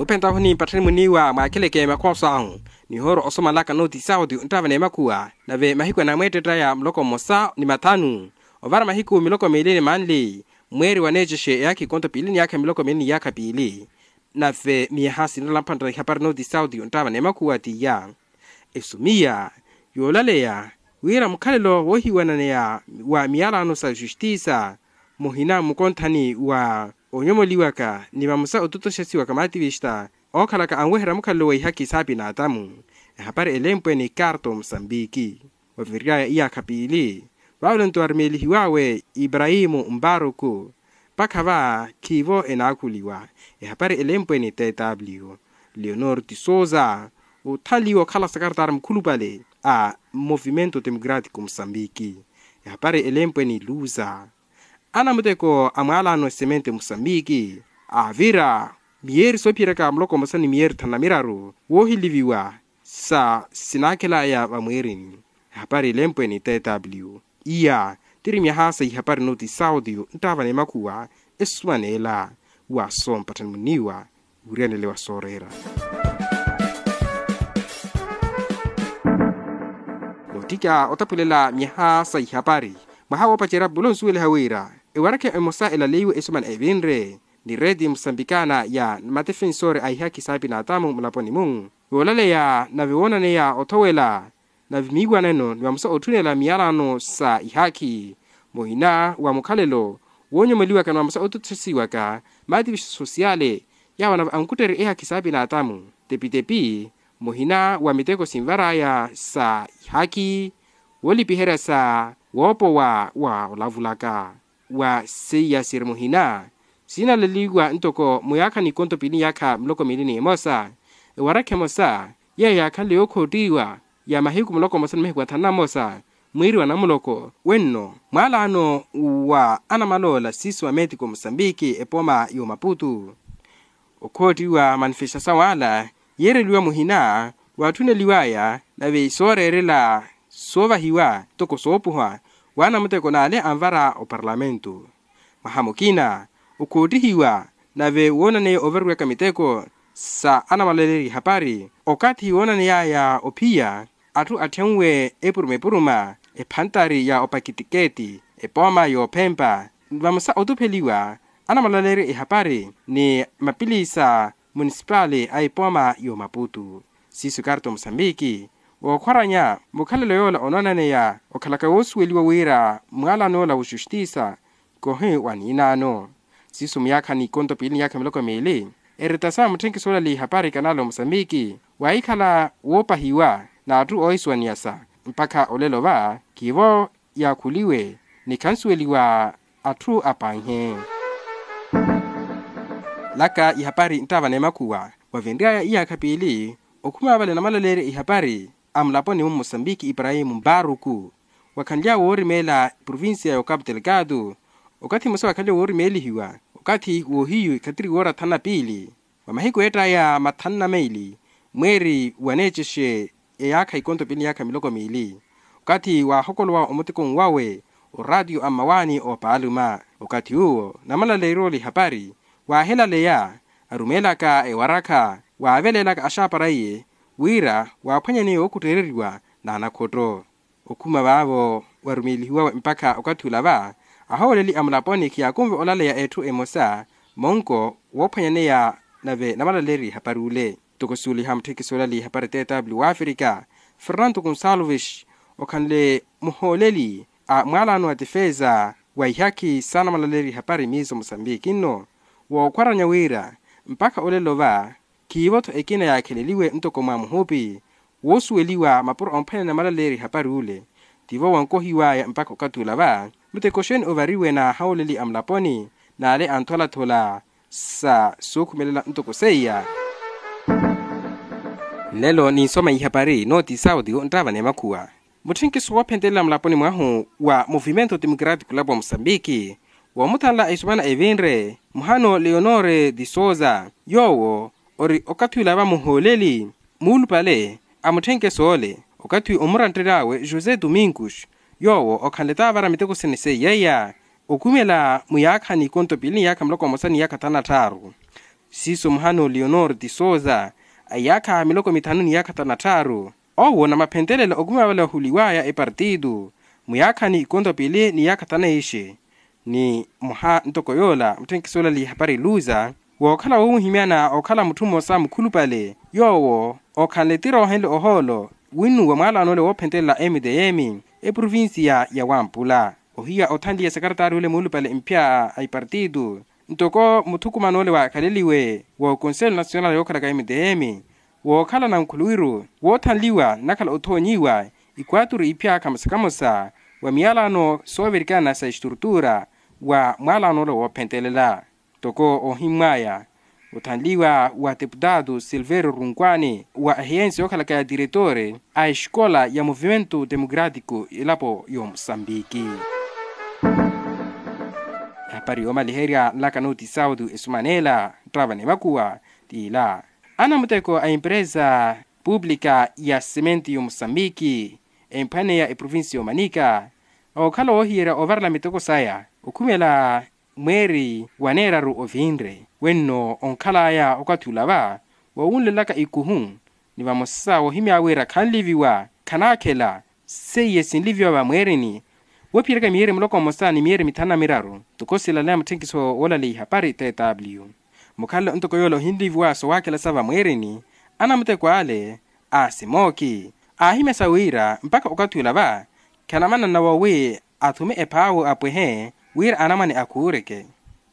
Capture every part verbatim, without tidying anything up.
Pentaho ni mpatthani muniiwa mwaakhileke makhooso ahu, nihooro osomalaka nooti saudi nttaava n'emakhuwa nave mahiku anamweettetta ya muloko mmosa ni mathanu, ovara mahiku miloko miili ni manli, mweeri waneecexe eyaakha ikonto piili ni yaakha miloko miili ni yaakha piili. Nave miyaha sinrela mphanttana ihapari nooti saudi nttaava n'emakhuwa tiya. Esumiya yoolaleya wira mukhalelo woohiwananeya wa miyalano sa justiisa muhina mukonthani wa onyomoliwaka ni vamosa otutoxesiwaka maativixa ookhalaka anweherya mukhalelo wa ihaki saapina atamu. Ehapari elempwe ni karto musambiki. Waviryaya iyaakha piili vaavulento warumeelihiwawe ibrahimu mparuku. Mpakha va khiivo enaakhuliwa. Ehapari elempwe ni tw leonor tisouza othanliwa okhala sakaratara mukhulupale a movimento democratico musambiki. Ehapari elempwe ni luza anamuteko a mwaalano esemente musambiki avira miyeeri soophiyeraka muloko mmosa ni miyeeri thanu na miraru woohiliviwa sa sinaakhela ya vamweerini. Ehapari elempwe ni tw iya tiri myaha sa ihapari nooti saudi nttaava n'emakhuwa esumaneela wa soompatthani muniiwa wiriyanele wa sooreera. Noottikya otapulela myaha sa ihapari mwaha woopacerya pulo nsuweliha wira ewarakha emosa elaleiwe esumana evinre ni reti musambikana ya matefensori a ihaki saapina atamu mulaponi-mu. Yoolaleya nave woonaneya othowela nave miiwaneno ni vamosa otthunela miyalano sa ihaki muhina wa mukhalelo woonyomoliwaka ni vamosa otuthesiwaka maativixa sosiyale. Yaawo nave ankutterye ehaki saapina atamu tepitepi muhina wa miteko sinvaraya sa ihaki woolipiherya sa woopowa wa olavulaka wa seiyasiri muhina sinaleliwa ntoko muyaakha ni ikonto piili ni yaakha miloko miili ni emosa. Ewarakha emosa yeeyo yaakhanle yookhottiwa ya mahiku muloko mmosa ni mahiku athanu na mmosa mwiiri wa namuloko wenno mwaalano wa anamaloola siiso wa metiko musambiki epooma y'omaputu. Okhoottiwa manifestasawu ala yiireliwa muhina waatthuneliwaya nave sooreerela soovahiwa ntoko soopuha wa anamuteko n'ale anvara oparlamentu. Mwaha mukina okhoottihiwa nave woonaneya ovariwaka miteko sa anamalaleerya ihapari okathi woonaneyaya ophiya atthu atthenwe epuruma epuruma ephantari ya opakitiketi epooma yoophempa vamosa otupheliwa anamalaleerya ihapari ni mapilisa munisipali a epooma y'omaputu. Siiso karto musambiki wookhwaranya mukhalelo yoola onoonaneya okhalaka woosuweliwa wira mwaalano yoola wa justiisa kohi wa niinaano. Siiso muyaakha ni ikonto piili ni yaakha miloko miili eretasa mutthenkisi oolaleya ihapari kanaala omusambiki waahikhala woopahiwa n'atthu oohisuwaniyasa mpakha olelo va khiivo yaakhuliwe ni khansuweliwa atthu apanhe. Laka ihapari nttaava n'emakhuwa wavinryaya iyaakha piili okhuma vale namalaleerya ihapari a mulaponi-mu mmusambiki iprahimu mparuku wakhanly'awe woorimeela provincia ya okapu telekatu okathi mmosa wakhanly'awe woorimeelihiwa okathi woohiyu ikhatiri woora thanu na piili wa mahiku eettaya mathanu na meili mweeri waneecexe eyaakha ikonto piili ni yaakha miloko miili okathi waahokolowa omuteko nwawe oraatiyo a mmawaani oopaaluma okathi uwo namalaleerya ole ihapari waahelaleya arumeelaka ewarakha waaveleelaka axaapara iye wira waaphwanyaneya ookutteereriwa n'anakhotto. Okhuma vaavo warumeelihiwawe mpakha okathi ula va ahooleli a mulaponi khiyaakunve olaleya etthu emosa monko woophwanyaneya nave namalaleerya ihapari ule. Ntoko suuliha mutthekisi olaleya ihapari tw wafrika fernanto gonsalves okhanle muhooleli a mwaalano wa tifeza wa ihaki sa namalaleerya ihapari miiso musambiki nno wookhwaranya wira mpakha olelo va khiivo-tho ekina yaakheleliwe ntoko mwa muhupi woosuweliwa mapuro omphwanyaneya namalaleerya ihapari ule tivo wankohiwaya mpakha okathi ula va muteko xeeni ovariwe n'ahauleli a mulaponi n'ale antholathula sa sookhumelela ntoko seiya. Nlelo ninsoma ihapari nooti saudi nttaava n'emakhuwa mutthinkiso woophentelela mulaponi mwahu wa movimento democratico lapwa musambiki woomuthanla esumana evinre muhano leonore de souza yoowo ori okathi ula va muhooleli muulupale a mutthenkeso ole okathi omuranttery'awe josé domingos yoowo okhanle taavara miteko sene seiyeiya okhumela muyaakhani ikonto piili ni yaakha muloko mmosa ni yaakha thanu na tthaaru. Siiso muhano leonor ti sousa, a iyaakha miloko mithanu ni iyaakha thanu na tthaaru, owo namaphentelela okumiwa vale vahuliwaya epartitu muyaakhani ikonto pili ni iyaakha thanu na ixe. Ni mwaha ntoko yoola mutthenkisoolali ihapari luza, wookhala woohimyana okhala mutthu mmosa mukhulupale yoowo okhanle tiro ohenle ohoolo winnuwa mwaalano ole woophentelela mtm eprovincia ya wampula. Ohiya othanliya sekaretari ole muulupale mphya a ipartitu ntoko muthukumano ole waakhaleliwe wa konselo nasional yookhalaka mtm, wookhala nankhuluwiru woothanliwa nakhala othoonyiwa ikwaaturu ipya kamosa kamosa wa miyalano soovirikana sa estrutura wa mwalano ole woophentelela. Ntoko ohimmwaya othanliwa wa deputado silverio runkwaani wa ahiyensi yookhalaka ya diretore a escola ya movimento democratico elapo y'omusambiki. Ehapari yoomaliherya nlaka noti sauti esumanela ttava ni makuwa, t'ila anamuteko a empresa publica ya sementi y'omusambiki emphwaneya eprovincia y'omanika okhala woohiyerya ovarela miteko saya okhumela mweeri wa neeraru ovinre wenno onkhalaya okathi ula va wowunlelaka ikuhu ni vamosa woohimya wira khanliviwa khanaakhela seiye sinliviwa vamweerini woophiyeraka miyeeri muloko mmosa ni miyeeri mithanu na miraru. Ntoko silaleya mutthenkiso woolaleya ihapari tw mukhalelo ntoko yoola ohinliviwa sowaakhela sa vamweerini anamuteko ale a simooki aahimyasa wira mpakha okathi ula va khanamanana wowi athume ephaawo apwehe wira anamwane akhuureke.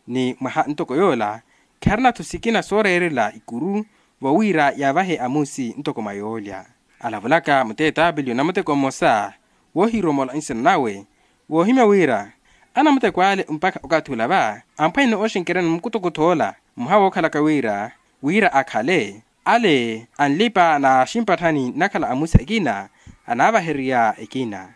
Ni mwaha ntoko yoola kharina-tho sikina sooreerela ikuru vowira yaavahe amusi ntoko mwa yoolya. Alavulaka muteetapeliyo namuteko mmosa woohiromola nsina nawe woohimya wira anamuteko ale mpakha okathi ula va amphwanene ooxenkeryani mukutokotho ola mmoha wookhalaka wira wira akhale ale anlipa n'aximpatthani nakhala amusi akina anaavahererya ekina.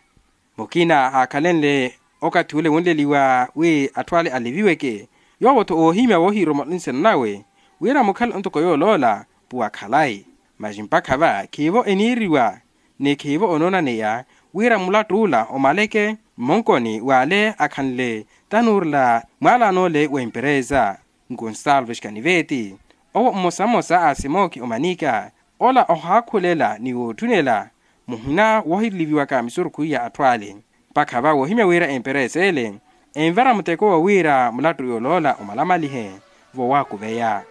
Mukina aakhalenle okathi ule wunleliwa wi atthu ale aliviweke yoowo-tho oohimya woohiromola nsina nawe wira mukhale ontoko yooloola puwa khalayi. Masi mpakha va khiivo eniiriwa ni khiivo onoonaneya wira mulatt'ula omaleke mmonkoni w'ale akhanle tanuurela mwaalano ole w'emperesa. Ngonsalves kaniveti owo mmosa mmosa a simooki omanika ola ohaakhulela ni wootthunela muhina woohiliviwaka misurukhu ya atthu ale mpakha va woohimya wira emperesa ele envara muteko wa wira mulattu yooloola omalamalihe vowaakuveya.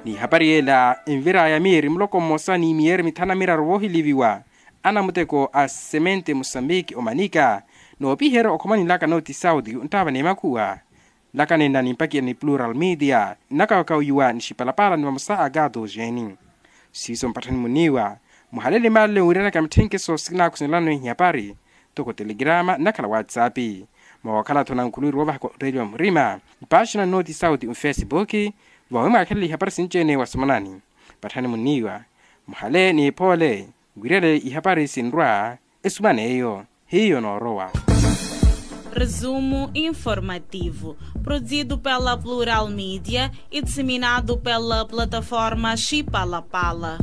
N'ihapari ela enviraya miyeeri muloko mmosa ni miyeeri mithanu na miraru voohiliviwa anamuteko a semente musambiki omanika noopiherya okhomani nlaka noti sauti nttaava n'emakhuwa. Nlaka nenna nimpakiya ni plural media nnakawakawiwa ni xipalapala ni vamosa a gato geni. Siiso mpatthani muniiwa muhalele maalelo wiiranaka mitthenkeso sinaakhusenelano ihapari ntoko telegrama nnakhala whatsapp. Mwawookhala-tho nankhuluwiru woovahaka otteeliwa murima mpaaxina nnoti sauti mfesipuki vawi mwaakhelela ihapari sinci-ene wasomanani. Patthani muniiwa muhale n'ipoole. Wirele ihapari sinrwa esuman'eyo hiyo noorowa. Resumo informativo, produzido pela Plural Media e disseminado pela plataforma Xipalapala.